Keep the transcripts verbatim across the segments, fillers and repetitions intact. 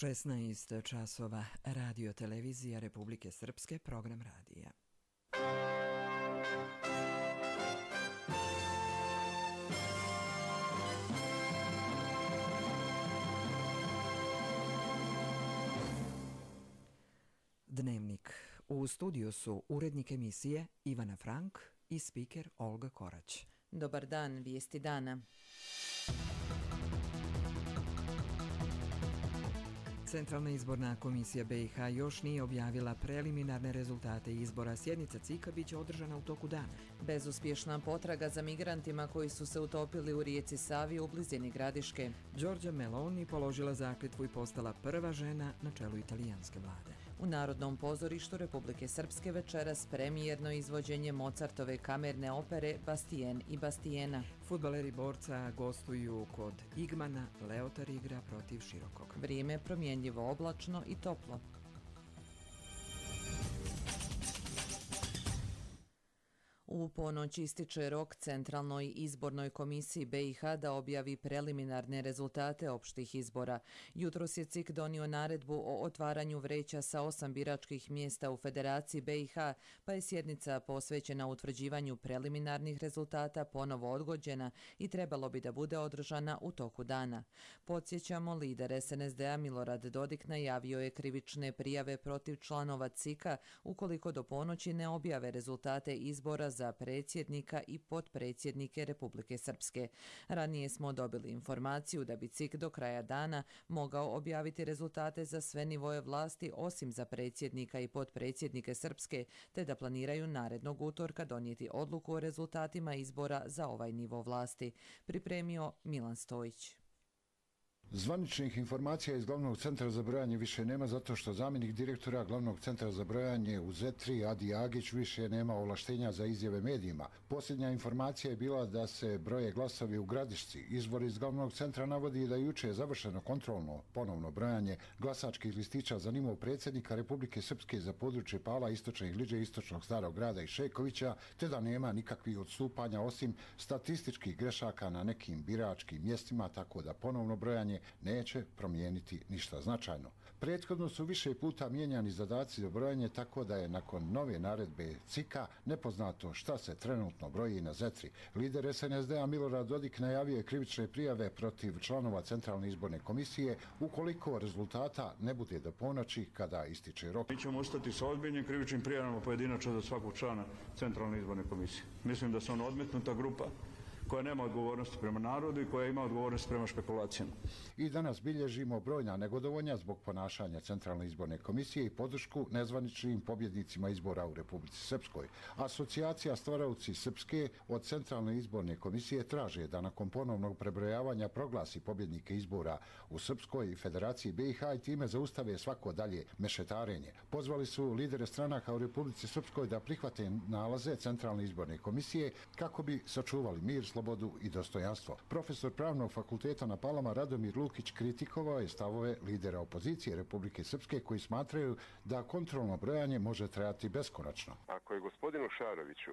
šesnaest časova, Radio televizija Republike Srpske, program radija. Dnevnik. U studiju su urednik emisije Ivana Frank i spiker Olga Korać. Dobar dan, vijesti dana. Centralna izborna komisija B i H još nije objavila preliminarne rezultate izbora. Sjednica C I K-a biće održana u toku dana. Bezuspješna potraga za migrantima koji su se utopili u rijeci Savi u blizini Gradiške. Giorgia Meloni položila zakletvu i postala prva žena na čelu italijanske vlade. U Narodnom pozorištu Republike Srpske večeras premijerno izvođenje Mozartove kamerne opere Bastien i Bastiena. Fudbaleri Borca gostuju kod Igmana, Leotar igra protiv Širokog. Vrijeme promjenjivo oblačno i toplo. U ponoć ističe rok Centralnoj izbornoj komisiji B i H da objavi preliminarne rezultate opštih izbora. Jutros je C I K donio naredbu o otvaranju vreća sa osam biračkih mjesta u Federaciji B i H, pa je sjednica posvećena utvrđivanju preliminarnih rezultata ponovo odgođena i trebalo bi da bude održana u toku dana. Podsjećamo, lider S N S D-a Milorad Dodik najavio je krivične prijave protiv članova C I K-a ukoliko do ponoći ne objave rezultate izbora za predsjednika i potpredsjednike Republike Srpske. Ranije smo dobili informaciju da bi C I K do kraja dana mogao objaviti rezultate za sve nivoje vlasti osim za predsjednika i potpredsjednike Srpske, te da planiraju narednog utorka donijeti odluku o rezultatima izbora za ovaj nivo vlasti. Pripremio Milan Stojić. Zvaničnih informacija iz Glavnog centra za brojanje više nema zato što zamjenik direktora Glavnog centra za brojanje u Zetri, Adi Agić, više nema ovlaštenja za izjave medijima. Posljednja informacija je bila da se broje glasovi u Gradišci. Izvor iz Glavnog centra navodi da juče je završeno kontrolno ponovno brojanje glasačkih listića za nivo predsjednika Republike Srpske za područje Pala, Istočne Gliđe, Istočnog Starog grada i Šekovića, te da nema nikakvih odstupanja osim statističkih grešaka na nekim biračkim mjestima, tako da ponovno brojanje neće promijeniti ništa značajno. Prethodno su više puta mijenjani zadaci za brojanje, tako da je nakon nove naredbe C I K-a nepoznato šta se trenutno broji na Zetri. Lider S N S D-a Milorad Dodik najavio je krivične prijave protiv članova Centralne izborne komisije ukoliko rezultata ne bude do ponoći kada ističe rok. Mi ćemo ostati sa ozbiljnim krivičnim prijavama pojedinačno za svakog člana Centralne izborne komisije. Mislim da su on odmetnuta grupa koja nema odgovornosti prema narodu i koja ima odgovornost prema špekulacijama. I danas bilježimo brojna negodovanja zbog ponašanja Centralne izborne komisije i podršku nezvaničnim pobjednicima izbora u Republici Srpskoj. Asocijacija Stvaraoci Srpske od Centralne izborne komisije traže da nakon ponovnog prebrojavanja proglasi pobjednike izbora u Srpskoj i Federaciji B i H i time zaustave svako dalje mešetarenje. Pozvali su lidere stranaka u Republici Srpskoj da prihvate nalaze Centralne izborne komisije kako bi sačuvali mir, slobodu i dostojanstvo. Profesor Pravnog fakulteta na Palama Radomir Lukić kritikovao je stavove lidera opozicije Republike Srpske koji smatraju da kontrolno brojanje može trajati beskonačno. Ako je gospodinu Šaroviću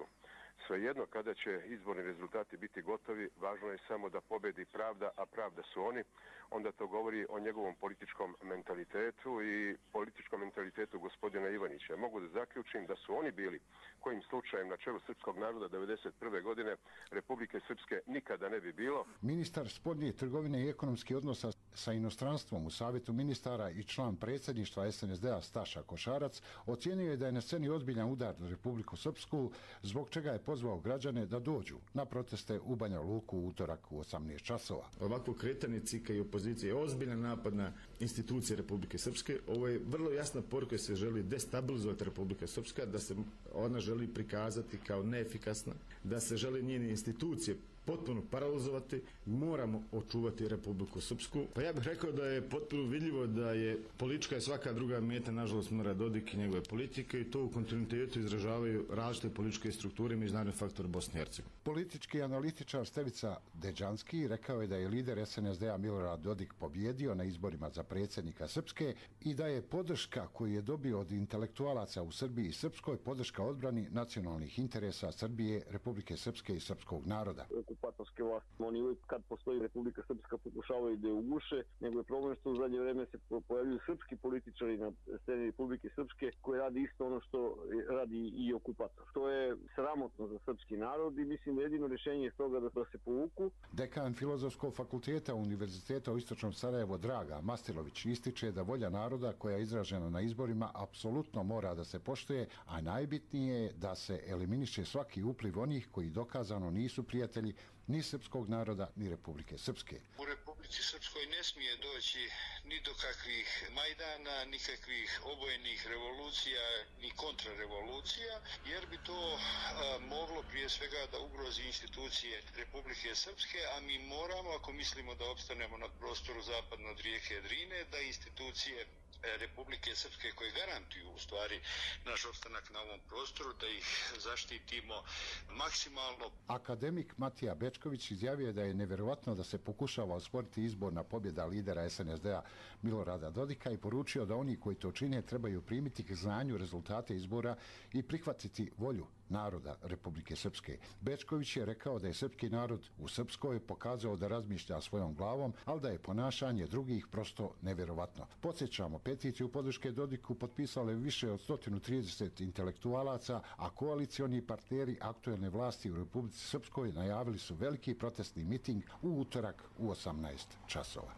svejedno kada će izborni rezultati biti gotovi, važno je samo da pobedi pravda, a pravda su oni, onda to govori o njegovom političkom mentalitetu i političkom mentalitetu gospodina Ivanića. Mogu da zaključim da su oni bili kojim slučajem na čelu srpskog naroda devedeset prve godine Republike Srpske nikada ne bi bilo. Ministar spoljne trgovine i ekonomskih odnosa sa inostranstvom u Savjetu ministara i član predsjedništva S N S D-a Staša Košarac ocijenio je da je na sceni ozbiljan udar na Republiku Srpsku, zbog čega je pozvao građane da dođu na proteste u Banja Luku u utorak u osamnaest časova. Ovakvo kretanje C I K-a i opozicije je ozbiljan napad na institucije Republike Srpske. Ovo je vrlo jasna poruka da se želi destabilizovati Republika Srpska, da se ona želi prikazati kao neefikasna, da se želi njene institucije potpuno paralizovati. Moramo očuvati Republiku Srpsku. Pa ja bih rekao da je potpuno vidljivo da je politička i svaka druga meta, nažalost, Milorad Dodik i njegove politike, i to u kontinuitetu izražavaju različite političke strukture i međunarodni faktor Bosne i Hercegovine. Politički analitičar Stevica Deđanski rekao je da je lider S N S D-a Milorad Dodik pobjedio na izborima za predsjednika Srpske i da je podrška koju je dobio od intelektualaca u Srbiji i Srpskoj podrška odbrani nacionalnih interesa Srbije, Republike Srpske i srpskog naroda. okupatorske vlasti. Oni uvijek kad postoji Republika Srpska pokušavaju da je uguše, nego je problem što u zadnje vreme se pojavljuju srpski političari na sceni Republike Srpske koji radi isto ono što radi i okupator. To je sramotno za srpski narod i mislim da jedino rješenje je toga da, da se povuku. Dekan Filozofskog fakulteta Univerziteta u Istočnom Sarajevu Draga Mastilović ističe da volja naroda koja je izražena na izborima apsolutno mora da se poštuje, a najbitnije je da se eliminiše svaki upliv onih koji dokazano nisu prijatelji ni srpskog naroda ni Republike Srpske. U Republici Srpskoj ne smije doći ni do kakvih majdana, nikakvih obojenih revolucija, ni kontrarevolucija, jer bi to a, moglo prije svega da ugrozi institucije Republike Srpske, a mi moramo, ako mislimo da opstanemo na prostoru zapadno od rijeke Drine, da institucije Republike Srpske koje garantuju u stvari naš opstanak na ovom prostoru, da ih zaštitimo maksimalno. Akademik Matija Bečković izjavio je da je nevjerovatno da se pokušava osporiti izborna pobjeda lidera S N S D-a Milorada Dodika i poručio da oni koji to čine trebaju primiti k znanju rezultate izbora i prihvatiti volju naroda Republike Srpske. Bečković je rekao da je srpski narod u Srpskoj pokazao da razmišlja svojom glavom, ali da je ponašanje drugih prosto nevjerovatno. Podsjećamo, peticiju podrške Dodiku potpisale više od sto trideset intelektualaca, a koalicioni partneri aktuelne vlasti u Republici Srpskoj najavili su veliki protestni miting u utorak u osamnaest časova.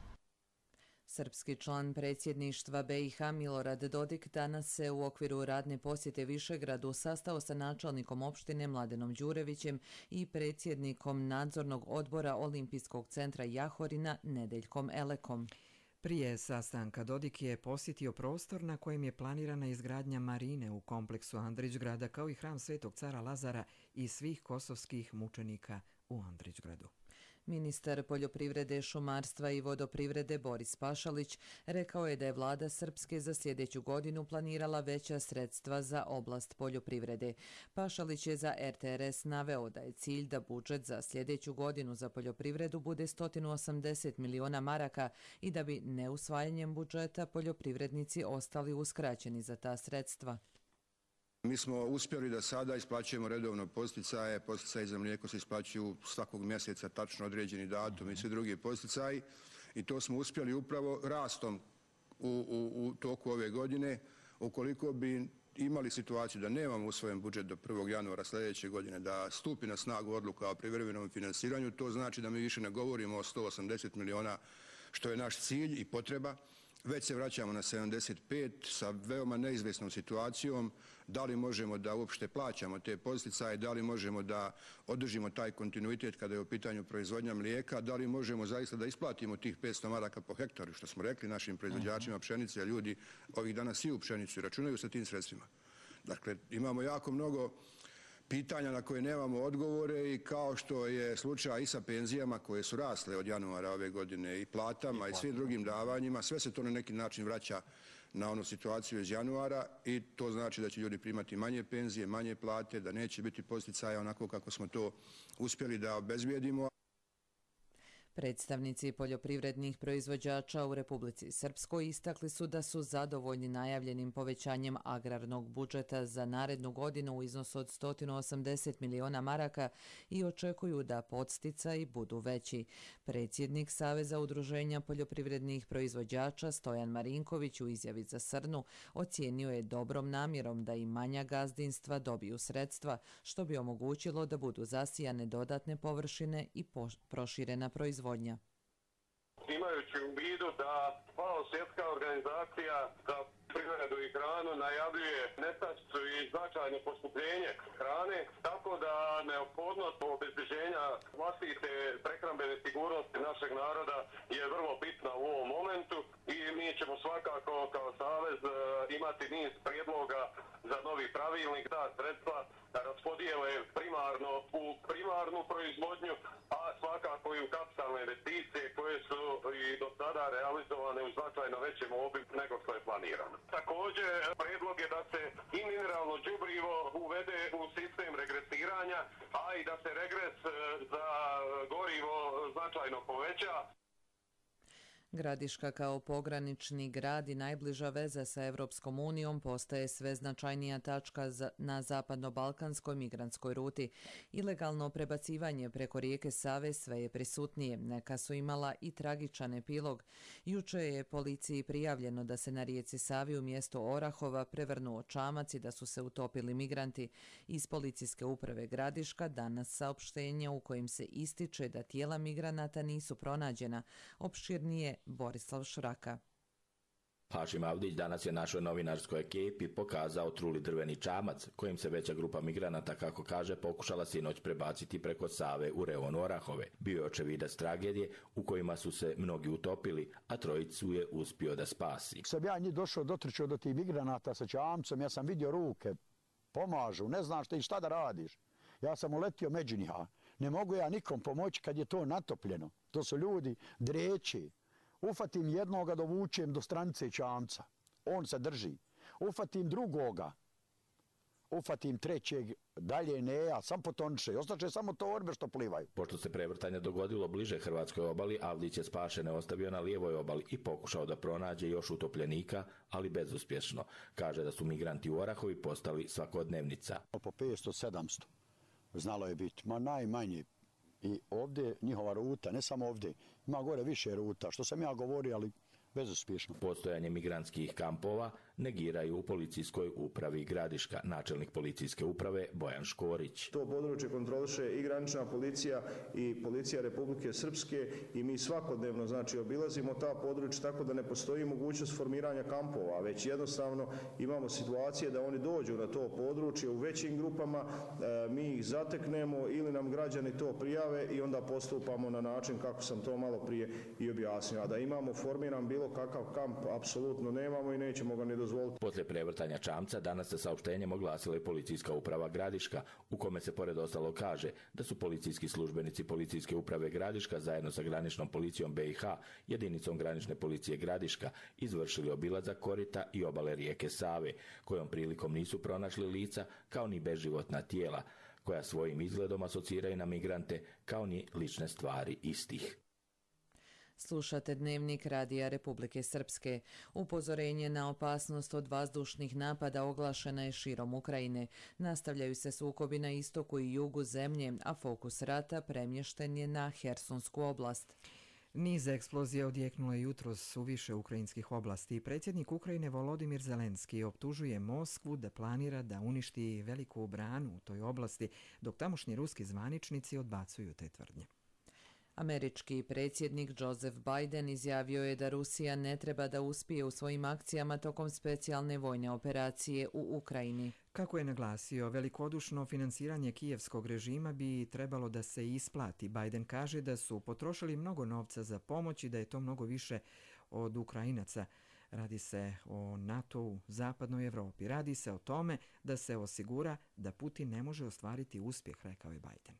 Srpski član predsjedništva B i H Milorad Dodik danas se u okviru radne posjete Višegradu sastao sa načelnikom opštine Mladenom Đurevićem i predsjednikom nadzornog odbora Olimpijskog centra Jahorina Nedeljkom Elekom. Prije sastanka Dodik je posjetio prostor na kojem je planirana izgradnja marine u kompleksu Andrićgrada kao i hram Svetog cara Lazara i svih kosovskih mučenika u Andrićgradu. Ministar poljoprivrede, šumarstva i vodoprivrede Boris Pašalić rekao je da je vlada Srpske za sljedeću godinu planirala veća sredstva za oblast poljoprivrede. Pašalić je za R T R S naveo da je cilj da budžet za sljedeću godinu za poljoprivredu bude sto osamdeset miliona maraka i da bi neusvajanjem budžeta poljoprivrednici ostali uskraćeni za ta sredstva. Mi smo uspjeli da sada isplaćujemo redovno posticaje, posticaji za mlijeko se isplaćuju svakog mjeseca tačno određeni datum i svi drugi posticaji i to smo uspjeli upravo rastom u, u, u toku ove godine. Ukoliko bi imali situaciju da nemamo usvojen budžet do prvog januara sljedeće godine, da stupi na snagu odluka o privremenom finansiranju, to znači da mi više ne govorimo o sto osamdeset miliona što je naš cilj i potreba, već se vraćamo na sedamdeset pet sa veoma neizvjesnom situacijom, da li možemo da uopšte plaćamo te posticaje, da li možemo da održimo taj kontinuitet kada je u pitanju proizvodnja mlijeka, da li možemo zaista da isplatimo tih petsto maraka po hektaru, što smo rekli našim proizvođačima pšenice, a ljudi ovih dana siju pšenicu i računaju sa tim sredstvima. Dakle, imamo jako mnogo pitanja na koje nemamo odgovore i kao što je slučaj i sa penzijama koje su rasle od januara ove godine i platama i svim drugim davanjima, sve se to na neki način vraća na onu situaciju iz januara i to znači da će ljudi primati manje penzije, manje plate, da neće biti posticaja onako kako smo to uspjeli da obezbijedimo. Predstavnici poljoprivrednih proizvođača u Republici Srpskoj istakli su da su zadovoljni najavljenim povećanjem agrarnog budžeta za narednu godinu u iznosu od sto osamdeset miliona maraka i očekuju da podsticaji budu veći. Predsjednik Saveza udruženja poljoprivrednih proizvođača Stojan Marinković u izjavi za Srnu ocijenio je dobrom namjerom da i manja gazdinstva dobiju sredstva, što bi omogućilo da budu zasijane dodatne površine i proširena proizvodnja. Imajući u vidu da FAO, svjetska organizacija za privredu i hranu, najavljuje nestašicu i značajno poskupljenje hrane, tako da neophodnost obezbeđenja vlastite prehrambene sigurnosti našeg naroda je vrlo bitna u ovom momentu i mi ćemo svakako kao Savez imati niz prijedloga za novi pravilnik, da sredstva raspodijele primarno u primarnu proizvodnju, a svakako i u kapitalne investicije koje su i do sada realizovane u značajno većem obimu nego što je planirano. Također, prijedlog je da se i mineralno đubrivo uvede u sistem regresiranja, a i da se regres za gorivo značajno poveća. Gradiška kao pogranični grad i najbliža veza sa Evropskom unijom postaje sve značajnija tačka na zapadno-balkanskoj migrantskoj ruti. Ilegalno prebacivanje preko rijeke Save sve je prisutnije. Neka su imala i tragičan epilog. Juče je policiji prijavljeno da se na rijeci Savi u mjestu Orahova prevrnuo čamac i da su se utopili migranti. Iz policijske uprave Gradiška danas saopštenje u kojim se ističe da tijela migranata nisu pronađena. Opširnije Borislav Šraka. Hašim Avdić danas je našoj novinarskoj ekipi pokazao truli drveni čamac kojim se veća grupa migranata, kako kaže, pokušala sinoć prebaciti preko Save u reon Orahove. Bio je očevidac tragedije u kojima su se mnogi utopili, a trojicu je uspio da spasi. Sam ja njih došao, dotrčao do tih migranata sa čamcom, ja sam vidio ruke, pomažu, ne znaš ti šta da radiš. Ja sam uletio među njih, ne mogu ja nikom pomoći kad je to natopljeno. To su ljudi dreći. Ufatim jednoga, dovučem do stranice čamca. On se drži. Ufatim drugoga. Ufatim trećeg, dalje ne, ja sam potonče. Ostaće samo torbe što plivaju. Pošto se prevrtanje dogodilo bliže hrvatskoj obali, Avdić je spašene ostavio na lijevoj obali i pokušao da pronađe još utopljenika, ali bezuspješno. Kaže da su migranti u Orahovi postali svakodnevnica. Po petsto sedamsto znalo je biti, ma najmanje. I ovdje njihova ruta, ne samo ovdje, ima gore više ruta, što sam ja govorio, ali bezuspješno. Postojanje migrantskih kampova negiraju u policijskoj upravi Gradiška. Načelnik policijske uprave Bojan Škorić. To područje kontroliše i granična policija i policija Republike Srpske i mi svakodnevno znači obilazimo ta područja, tako da ne postoji mogućnost formiranja kampova, već jednostavno imamo situacije da oni dođu na to područje u većim grupama, mi ih zateknemo ili nam građani to prijave i onda postupamo na način kako sam to malo prije i objasnio. A da imamo formiran bilo kakav kamp, apsolutno nemamo i nećemo ga ni dozvoliti. Poslije prevrtanja čamca danas se saopštenjem oglasila i policijska uprava Gradiška, u kome se pored ostalo kaže da su policijski službenici policijske uprave Gradiška zajedno sa graničnom policijom B i H, jedinicom granične policije Gradiška, izvršili obilazak korita i obale rijeke Save, kojom prilikom nisu pronašli lica kao ni beživotna tijela, koja svojim izgledom asociraju na migrante kao ni lične stvari istih. Slušate Dnevnik Radija Republike Srpske. Upozorenje na opasnost od vazdušnih napada oglašena je širom Ukrajine. Nastavljaju se sukobi na istoku i jugu zemlje, a fokus rata premješten je na Hersonsku oblast. Niz eksplozija odjeknulo je jutros u više ukrajinskih oblasti. Predsjednik Ukrajine Volodimir Zelenski optužuje Moskvu da planira da uništi veliku branu u toj oblasti, dok tamošnji ruski zvaničnici odbacuju te tvrdnje. Američki predsjednik Joseph Biden izjavio je da Rusija ne treba da uspije u svojim akcijama tokom specijalne vojne operacije u Ukrajini. Kako je naglasio, velikodušno finansiranje kijevskog režima bi trebalo da se isplati. Biden kaže da su potrošili mnogo novca za pomoć i da je to mnogo više od Ukrajinaca. Radi se o NATO-u, zapadnoj Evropi. Radi se o tome da se osigura da Putin ne može ostvariti uspjeh, rekao je Biden.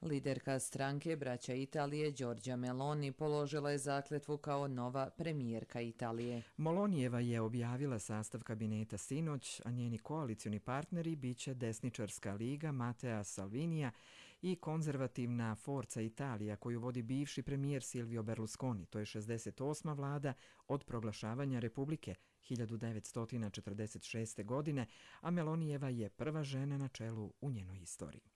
Liderka stranke Braća Italije Giorgia Meloni položila je zakletvu kao nova premijerka Italije. Melonijeva je objavila sastav kabineta sinoć, a njeni koalicioni partneri biće desničarska liga Matteo Salvinija i konzervativna Forza Italija koju vodi bivši premijer Silvio Berlusconi. To je šezdeset osma vlada od proglašavanja Republike hiljadu devetsto četrdeset šeste. godine, a Melonijeva je prva žena na čelu u njenoj istoriji.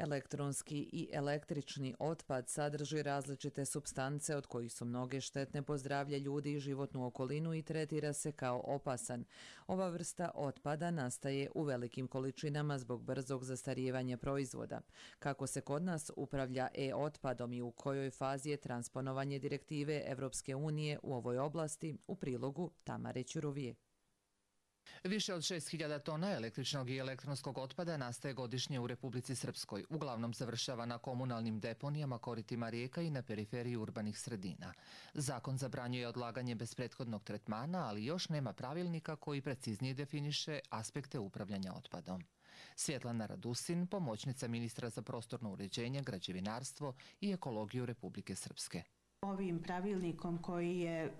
Elektronski i električni otpad sadrži različite supstance od kojih su mnoge štetne po zdravlje ljudi i životnu okolinu i tretira se kao opasan. Ova vrsta otpada nastaje u velikim količinama zbog brzog zastarijevanja proizvoda. Kako se kod nas upravlja e-otpadom i u kojoj fazi je transponovanje direktive Evropske unije u ovoj oblasti, u prilogu Tamare Ćurovije. Više od šest hiljada tona električnog i elektronskog otpada nastaje godišnje u Republici Srpskoj. Uglavnom završava na komunalnim deponijama, koritima rijeka i na periferiji urbanih sredina. Zakon zabranjuje odlaganje bez prethodnog tretmana, ali još nema pravilnika koji preciznije definiše aspekte upravljanja otpadom. Svjetlana Radusin, pomoćnica ministra za prostorno uređenje, građevinarstvo i ekologiju Republike Srpske. Ovim pravilnikom koji je,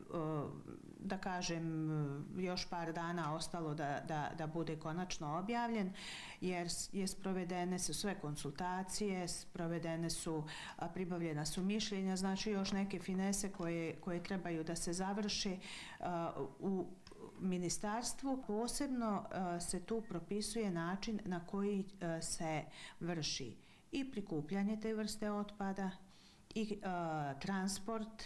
da kažem, još par dana ostalo da, da, da bude konačno objavljen, jer je sprovedene su sve konsultacije, sprovedene su, pribavljena su mišljenja, znači još neke finese koje, koje trebaju da se završe u ministarstvu. Posebno se tu propisuje način na koji se vrši i prikupljanje te vrste otpada, i uh, transport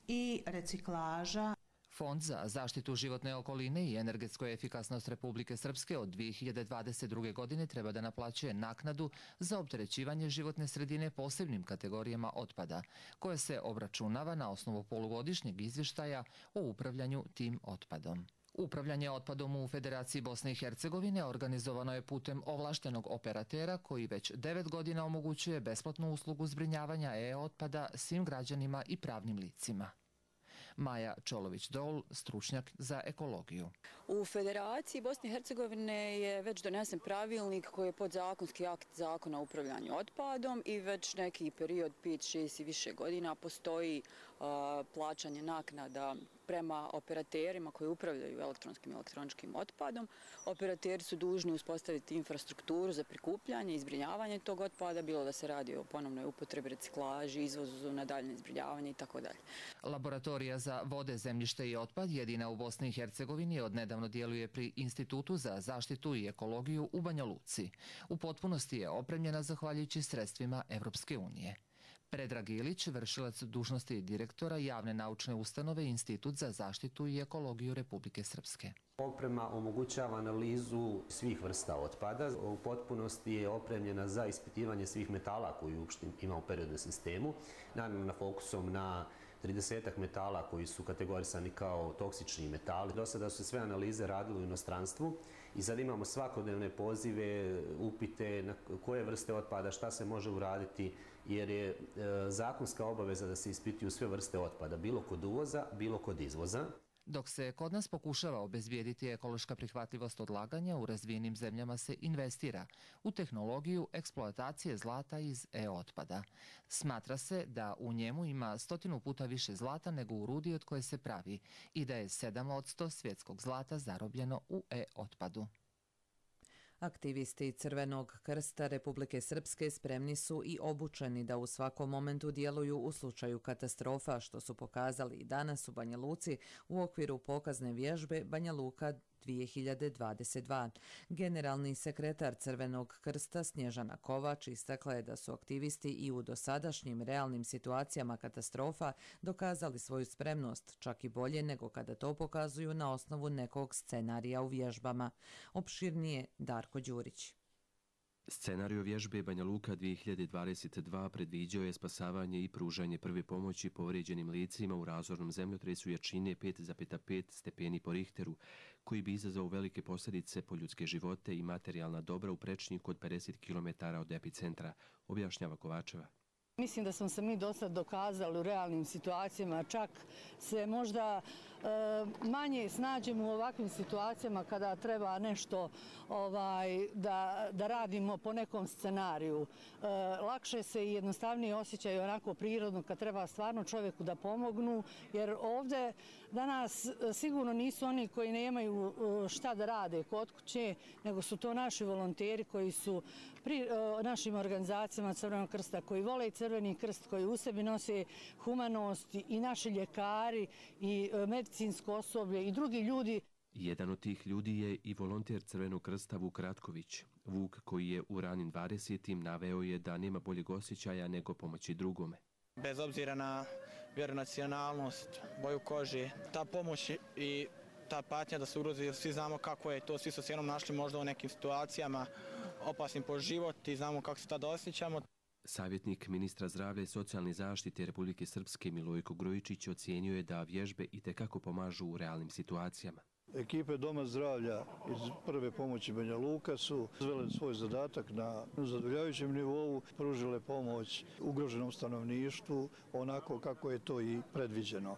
i reciklaža. Fond za zaštitu životne okoline i energetsku efikasnost Republike Srpske od dvije hiljade dvadeset druge. godine treba da naplaćuje naknadu za opterećivanje životne sredine posebnim kategorijama otpada, koja se obračunava na osnovu polugodišnjeg izvještaja o upravljanju tim otpadom. Upravljanje otpadom u Federaciji Bosne i Hercegovine organizovano je putem ovlaštenog operatera koji već devet godina omogućuje besplatnu uslugu zbrinjavanja e-otpada svim građanima i pravnim licima. Maja Čolović-Dol, stručnjak za ekologiju. U Federaciji Bosne i Hercegovine je već donesen pravilnik koji je podzakonski akt zakona o upravljanju otpadom i već neki period, pet, šest i više godina, postoji uh, plaćanje naknada prema operaterima koji upravljaju elektronskim i elektroničkim otpadom. Operateri su dužni uspostaviti infrastrukturu za prikupljanje i zbrinjavanje tog otpada, bilo da se radi o ponovnoj upotrebi, reciklaži, izvozu na daljnje zbrinjavanje i tako dalje. Laboratorija za vode, zemljište i otpad, jedina u Bosni i Hercegovini, odnedavno djeluje pri Institutu za zaštitu i ekologiju u Banja Luci. U potpunosti je opremljena zahvaljujući sredstvima Evropske unije. Predrag Ilić, vršilac dužnosti direktora javne naučne ustanove Institut za zaštitu i ekologiju Republike Srpske. Oprema omogućava analizu svih vrsta otpada. U potpunosti je opremljena za ispitivanje svih metala koji uopšte ima u periodnom sistemu. Naravno, na fokusom na tridesetak metala koji su kategorisani kao toksični metali. Do sada su se sve analize radile u inostranstvu i sad imamo svakodnevne pozive, upite na koje vrste otpada, šta se može uraditi, jer je e, zakonska obaveza da se ispituju sve vrste otpada, bilo kod uvoza, bilo kod izvoza. Dok se kod nas pokušava obezbijediti ekološka prihvatljivost odlaganja, u razvijenim zemljama se investira u tehnologiju eksploatacije zlata iz e-otpada. Smatra se da u njemu ima stotinu puta više zlata nego u rudi od koje se pravi i da je sedam posto svjetskog zlata zarobljeno u e-otpadu. Aktivisti Crvenog krsta Republike Srpske spremni su i obučeni da u svakom momentu djeluju u slučaju katastrofa, što su pokazali i danas u Banja Luci u okviru pokazne vježbe Banja Luka dvije hiljade dvadeset dva. Generalni sekretar Crvenog krsta Snježana Kovač istakla je da su aktivisti i u dosadašnjim realnim situacijama katastrofa dokazali svoju spremnost, čak i bolje nego kada to pokazuju na osnovu nekog scenarija u vježbama. Opširnije Darko Đurić. Scenariju vježbe Banja Luka dvije hiljade dvadeset dva predviđao je spasavanje i pružanje prve pomoći povrijeđenim licima u razornom zemljotresu jačine pet zarez pet stepeni po Richteru, koji bi izazvao velike posljedice po ljudske živote i materijalna dobra u prečniku od pedeset kilometara od epicentra, objašnjava Kovačeva. Mislim da smo se mi do sad dokazali u realnim situacijama, čak se možda e, manje snađemo u ovakvim situacijama kada treba nešto ovaj, da, da radimo po nekom scenariju. E, lakše se i jednostavnije osjećaju onako prirodno kad treba stvarno čovjeku da pomognu, jer ovdje danas sigurno nisu oni koji nemaju šta da rade kod kuće, nego su to naši volonteri koji su pri našim organizacijama Crvenog krsta, koji vole Crveni krst, koji u sebi nose humanost, i naši ljekari i medicinsko osoblje i drugi ljudi. Jedan od tih ljudi je i volonter Crvenog krsta Vuk Ratković. Vuk, koji je u ranim dvadesetim naveo je da nema boljeg osjećaja nego pomoći drugome. Bez obzira na vjeru, nacionalnost, boju kože, ta pomoć i ta patnja da se ugrozi, svi znamo kako je to, svi su se jednom našli možda u nekim situacijama opasnim po život i znamo kako se tada osjećamo. Savjetnik ministra zdravlja i socijalne zaštite Republike Srpske Milojko Grujičić ocijenio je da vježbe itekako pomažu u realnim situacijama. Ekipe Doma zdravlja iz prve pomoći Banja Luka su izvele svoj zadatak na zadovoljavajućem nivou, pružile pomoć ugroženom stanovništvu onako kako je to i predviđeno.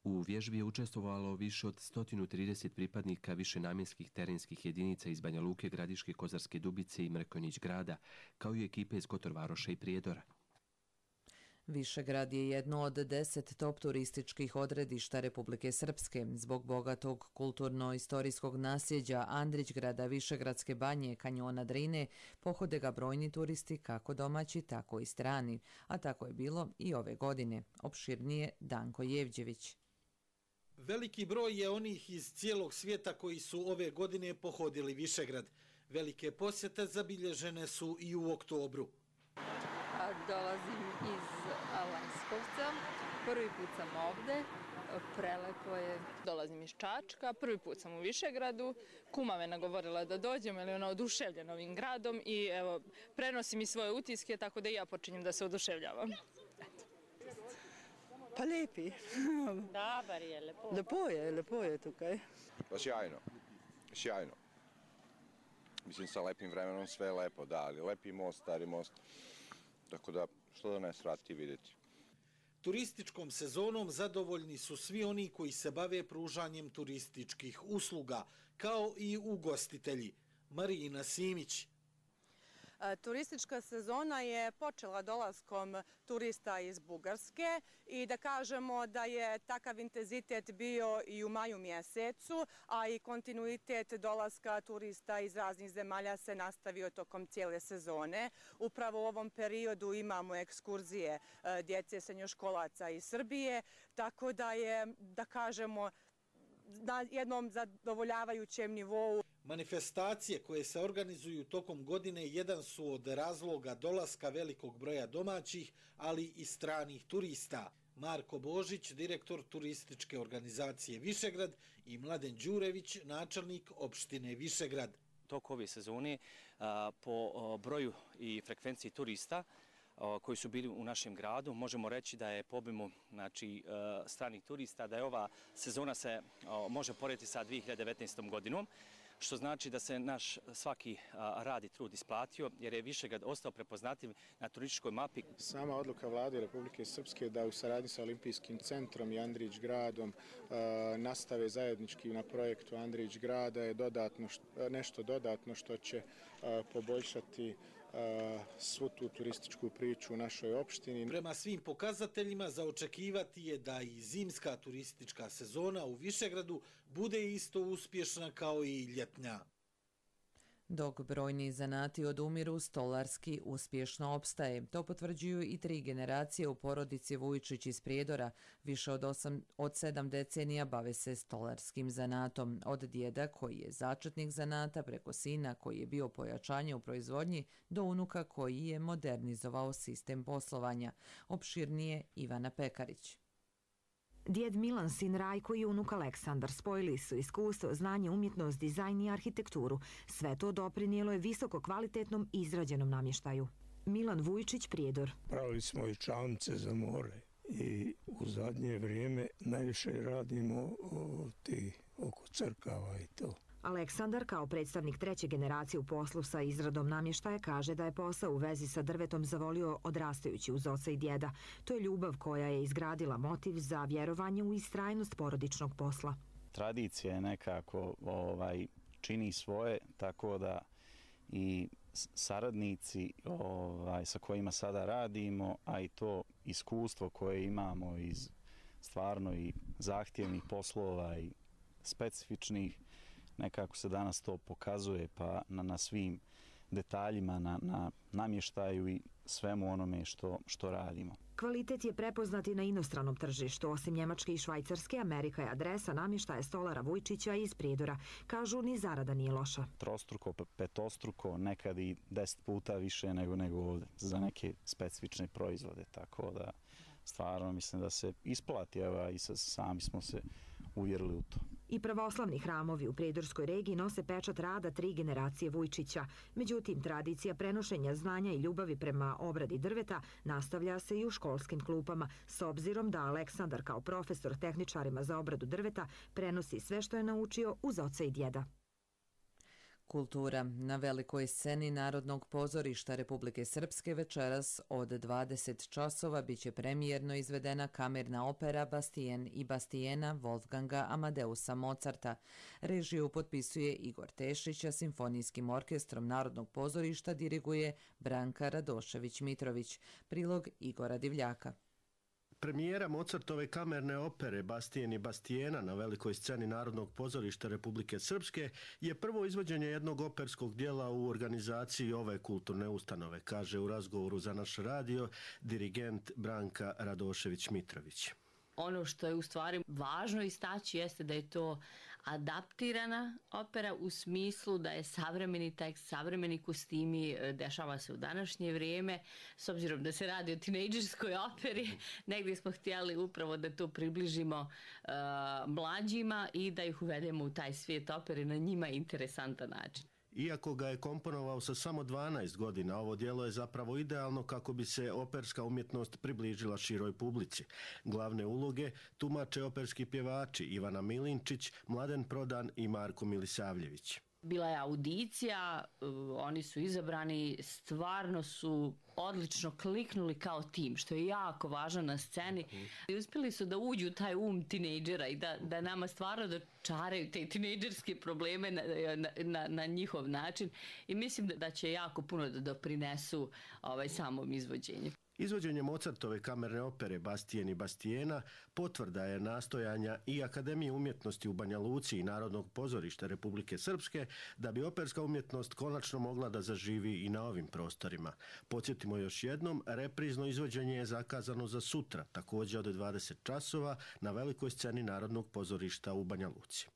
U vježbi je učestvovalo više od sto trideset pripadnika višenamjenskih terenskih jedinica iz Banja Luke, Gradiške, Kozarske Dubice i Mrkonjić grada, kao i ekipe iz Kotor Varoša i Prijedora. Višegrad je jedno od deset top turističkih odredišta Republike Srpske. Zbog bogatog kulturno-istorijskog nasljeđa Andrićgrada, Višegradske banje, kanjona Drine, pohode ga brojni turisti kako domaći, tako i strani. A tako je bilo i ove godine. Opširnije Danko Jevđević. Veliki broj je onih iz cijelog svijeta koji su ove godine pohodili Višegrad. Velike posjete zabilježene su i u oktobru. Dolazim iz Leskovca, prvi put sam ovde, prelepo je. Dolazim iz Čačka, prvi put sam u Višegradu, kuma me nagovorila da dođem, jer je ona oduševljena ovim gradom i evo, prenosi mi svoje utiske, tako da i ja počinjem da se oduševljavam. Pa lijepi. Da, bar je lepo. Lepo je, lepo je tukaj. Pa sjajno, sjajno. Mislim, sa lepim vremenom sve je lepo, da, ali lepi most, stari most. Tako da, što da ne svrati vidjeti. Turističkom sezonom zadovoljni su svi oni koji se bave pružanjem turističkih usluga, kao i ugostitelji. Marina Simić. Turistička sezona je počela dolaskom turista iz Bugarske i da kažemo da je takav intenzitet bio i u maju mjesecu, a i kontinuitet dolaska turista iz raznih zemalja se nastavio tokom cijele sezone. Upravo u ovom periodu imamo ekskurzije djece srednjoškolaca iz Srbije, tako da je, da kažemo, na jednom zadovoljavajućem nivou. Manifestacije koje se organizuju tokom godine jedan su od razloga dolaska velikog broja domaćih, ali i stranih turista. Marko Božić, direktor turističke organizacije Višegrad, i Mladen Đurević, načelnik opštine Višegrad. Tok ove sezone po broju i frekvenciji turista koji su bili u našem gradu, možemo reći da je po obimu, znači, stranih turista, da je ova sezona se može porediti sa dvije hiljade devetnaestom godinom, što znači da se naš svaki rad i trud isplatio, jer je Višegrad ostao prepoznatljiv na turističkoj mapi. Sama odluka Vlade Republike Srpske da u saradnji sa Olimpijskim centrom i Andrićgradom nastave zajednički na projektu Andrićgrada je dodatno, nešto dodatno što će poboljšati svu tu turističku priču u našoj opštini. Prema svim pokazateljima za očekivati je da i zimska turistička sezona u Višegradu bude isto uspješna kao i ljetnja. Dok brojni zanati odumiru, stolarski uspješno opstaje. To potvrđuju i tri generacije u porodici Vujčić iz Prijedora. Više od, osam, od sedam decenija bave se stolarskim zanatom. Od djeda koji je začetnik zanata, preko sina koji je bio pojačanje u proizvodnji, do unuka koji je modernizovao sistem poslovanja. Opširnije Ivana Pekarić. Djed Milan, sin Rajko i unuk Aleksandar spojili su iskustvo, znanje, umjetnost, dizajn i arhitekturu. Sve to doprinijelo je visoko kvalitetnom izrađenom namještaju. Milan Vujčić, Prijedor. Pravili smo i čamce za more i u zadnje vrijeme najviše radimo ti oko crkava i to. Aleksandar, kao predstavnik treće generacije u poslu sa izradom namještaja, kaže da je posao u vezi sa drvetom zavolio odrastajući uz oca i djeda. To je ljubav koja je izgradila motiv za vjerovanje u istrajnost porodičnog posla. Tradicija je nekako ovaj, čini svoje, tako da i saradnici ovaj, sa kojima sada radimo, a i to iskustvo koje imamo iz stvarno i zahtjevnih poslova i specifičnih, nekako se danas to pokazuje pa na, na svim detaljima, na, na namještaju i svemu onome što, što radimo. Kvalitet je prepoznat i na inostranom tržištu. Osim Njemačke i Švajcarske, Amerika je adresa namještaja stolara Vujčića iz Prijedora. Kažu, ni zarada nije loša. Trostruko, petostruko, nekad i deset puta više nego, nego ovdje za neke specifične proizvode. Tako da stvarno mislim da se isplati, evo, i sami smo se uvjerili u to. I pravoslavni hramovi u Prijedorskoj regiji nose pečat rada tri generacije Vujčića. Međutim, tradicija prenošenja znanja i ljubavi prema obradi drveta nastavlja se i u školskim klupama, s obzirom da Aleksandar kao profesor tehničarima za obradu drveta prenosi sve što je naučio uz oca i djeda. Kultura na velikoj sceni Narodnog pozorišta Republike Srpske večeras od dvadeset časova biće premijerno izvedena kamerna opera Bastijen i Bastijena Wolfganga Amadeusa Mozarta. Režiju potpisuje Igor Tešić, a simfonijskim orkestrom Narodnog pozorišta diriguje Branka Radošević-Mitrović. Prilog Igora Divljaka. Premijera Mozartove kamerne opere Bastijen i Bastijena na velikoj sceni Narodnog pozorišta Republike Srpske je prvo izvođenje jednog operskog dijela u organizaciji ove kulturne ustanove, kaže u razgovoru za naš radio dirigent Branka Radošević-Mitrović. Ono što je u stvari važno istaći jeste da je to adaptirana opera u smislu da je savremeni tekst, savremeni kostimi, dešava se u današnje vrijeme. S obzirom da se radi o tinejdžerskoj operi, negdje smo htjeli upravo da to približimo uh, mlađima i da ih uvedemo u taj svijet opere na njima interesantan način. Iako ga je komponovao sa samo dvanaest godina, ovo djelo je zapravo idealno kako bi se operska umjetnost približila široj publici. Glavne uloge tumače operski pjevači Ivana Milinčić, Mladen Prodan i Marko Milisavljević. Bila je audicija, oni su izabrani, stvarno su odlično kliknuli kao tim, što je jako važno na sceni. I uspjeli su da uđu u taj um tinejdžera i da, da nama stvarno dočaraju te tinejdžerske probleme na, na, na njihov način. I mislim da, da će jako puno da doprinesu ovaj, samom izvođenju. Izvođenje Mozartove kamerne opere Bastijen i Bastijena potvrda je nastojanja i Akademije umjetnosti u Banja Luci i Narodnog pozorišta Republike Srpske da bi operska umjetnost konačno mogla da zaživi i na ovim prostorima. Podsjetimo još jednom, reprizno izvođenje je zakazano za sutra, također od dvadeset časova na velikoj sceni Narodnog pozorišta u Banja Luci.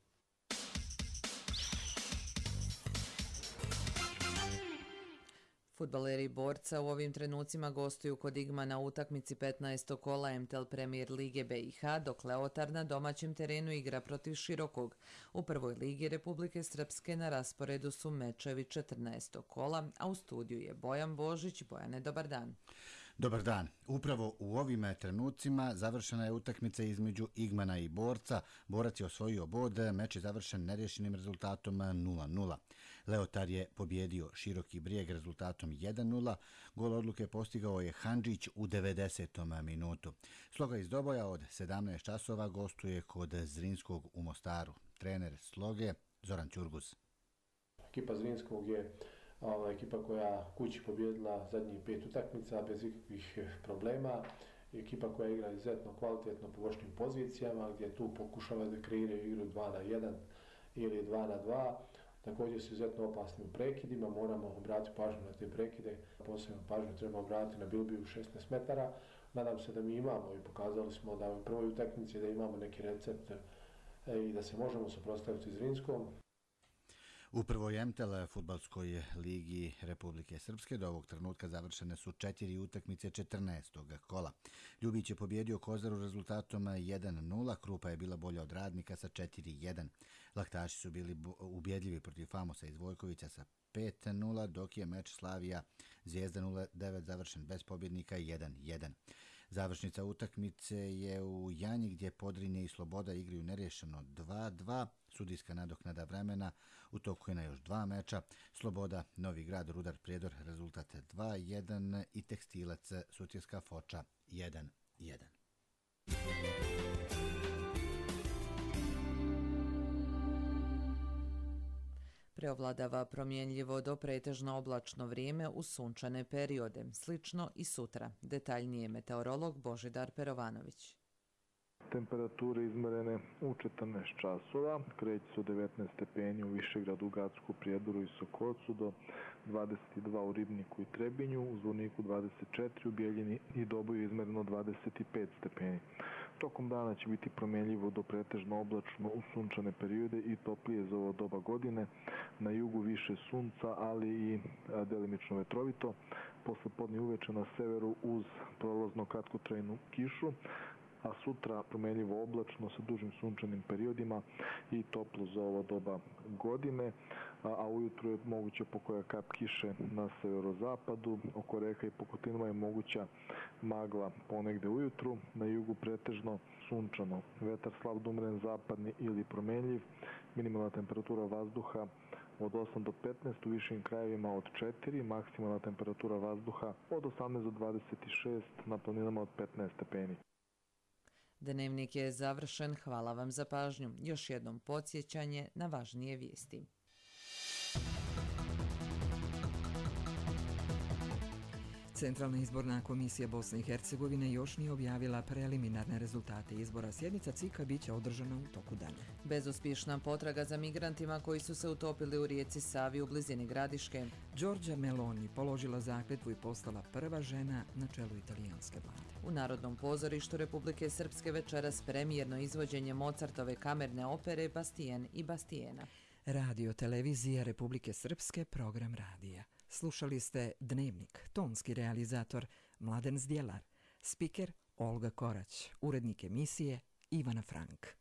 Fudbaleri Borca u ovim trenucima gostuju kod Igma na utakmici petnaestog kola M T L Premier Lige B i H, dok Leotar na domaćem terenu igra protiv Širokog. U prvoj ligi Republike Srpske na rasporedu su mečevi četrnaestog kola, a u studiju je Bojan Božić. Bojane, dobar dan. Dobar dan. Upravo u ovim trenucima završena je utakmica između Igmana i Borca. Borac je osvojio bod, meč je završen nerješenim rezultatom nula nula. Leotar je pobjedio Široki Brijeg rezultatom jedan nula. Gol odluke postigao je Handžić u devedesetom minutu. Sloga iz Doboja od sedamnaest časova gostuje kod Zrinskog u Mostaru. Trener Sloge Zoran Ćurguz. Ekipa Zrinskog je Ova ekipa koja kući pobjedila zadnjih pet utakmica bez ikakvih problema. Ekipa koja igra izuzetno kvalitetno po vošnim pozicijama, gdje tu pokušava da kreiraju igru dva na jedan ili dva na dva. Također su izuzetno opasni u prekidima, moramo obratiti pažnju na te prekide. Posebno pažnju treba obratiti na Bilbiju šesnaest metara. Nadam se da mi imamo i pokazali smo da u prvoj utakmici da imamo neki recept i da se možemo suprotstaviti Zrinskom. U prvoj M T L fudbalskoj ligi Republike Srpske do ovog trenutka završene su četiri utakmice četrnaestog kola. Ljubić je pobjedio Kozaru rezultatom jedan nula, Krupa je bila bolja od Radnika sa četiri jedan. Laktaši su bili ubjedljivi protiv Famosa iz Vojkovića sa pet nula, dok je meč Slavija Zvijezda nula devet završen bez pobjednika jedan jedan. Završnica utakmice je u Janji gdje Podrinje i Sloboda igraju nerješeno dva dva. Sudijska nadoknada vremena u toku je na još dva meča. Sloboda, Novi Grad, Rudar Prijedor rezultat dva jedan i Tekstilac Sutjeska Foča jedan jedan. Preovladava promjenljivo do pretežno oblačno vrijeme u sunčane periode. Slično i sutra. Detaljnije meteorolog Božidar Perovanović. Temperature izmerene u četrnaest časova, kreće se od devetnaest stepeni u Višegradu, u Gacku, Prijedoru i Sokocu do dvadeset dva u Ribniku i Trebinju, u Zvorniku dvadeset četiri, u Bijeljini i Doboju izmereno dvadeset pet stepeni. Tokom dana će biti promjenljivo do pretežno oblačno u sunčane periode i toplije za ovo doba godine. Na jugu više sunca, ali i delimično vetrovito. Posle podne uveče na severu uz prolazno kratkotrajnu kišu, a sutra promjenljivo oblačno sa dužim sunčanim periodima i toplo za ovo doba godine, a ujutro je moguće pokoja kap kiše na severozapadu, oko reka i Pokotinova je moguća magla ponegde ujutru, na jugu pretežno sunčano, vetar slab da umeren zapadni ili promjenljiv, minimalna temperatura vazduha od osam do petnaest, u višim krajevima od četiri, maksimalna temperatura vazduha od osamnaest do dvadeset šest, na planinama od petnaest stepeni. Dnevnik je završen, hvala vam za pažnju. Još jednom podsjećanje na važnije vijesti. Centralna izborna komisija Bosne i Hercegovine još nije objavila preliminarne rezultate izbora. Sjednica C I K-a biće održana u toku dana. Bezuspješna potraga za migrantima koji su se utopili u rijeci Savi u blizini Gradiške. Giorgia Meloni položila zakletvu i postala prva žena na čelu italijanske vlade. U Narodnom pozorištu Republike Srpske večeras premijerno izvođenje Mozartove kamerne opere Bastien i Bastiena. Radio televizija Republike Srpske, program radija. Slušali ste Dnevnik, tonski realizator Mladen Zdjelar, spiker Olga Korać, urednik emisije Ivana Frank.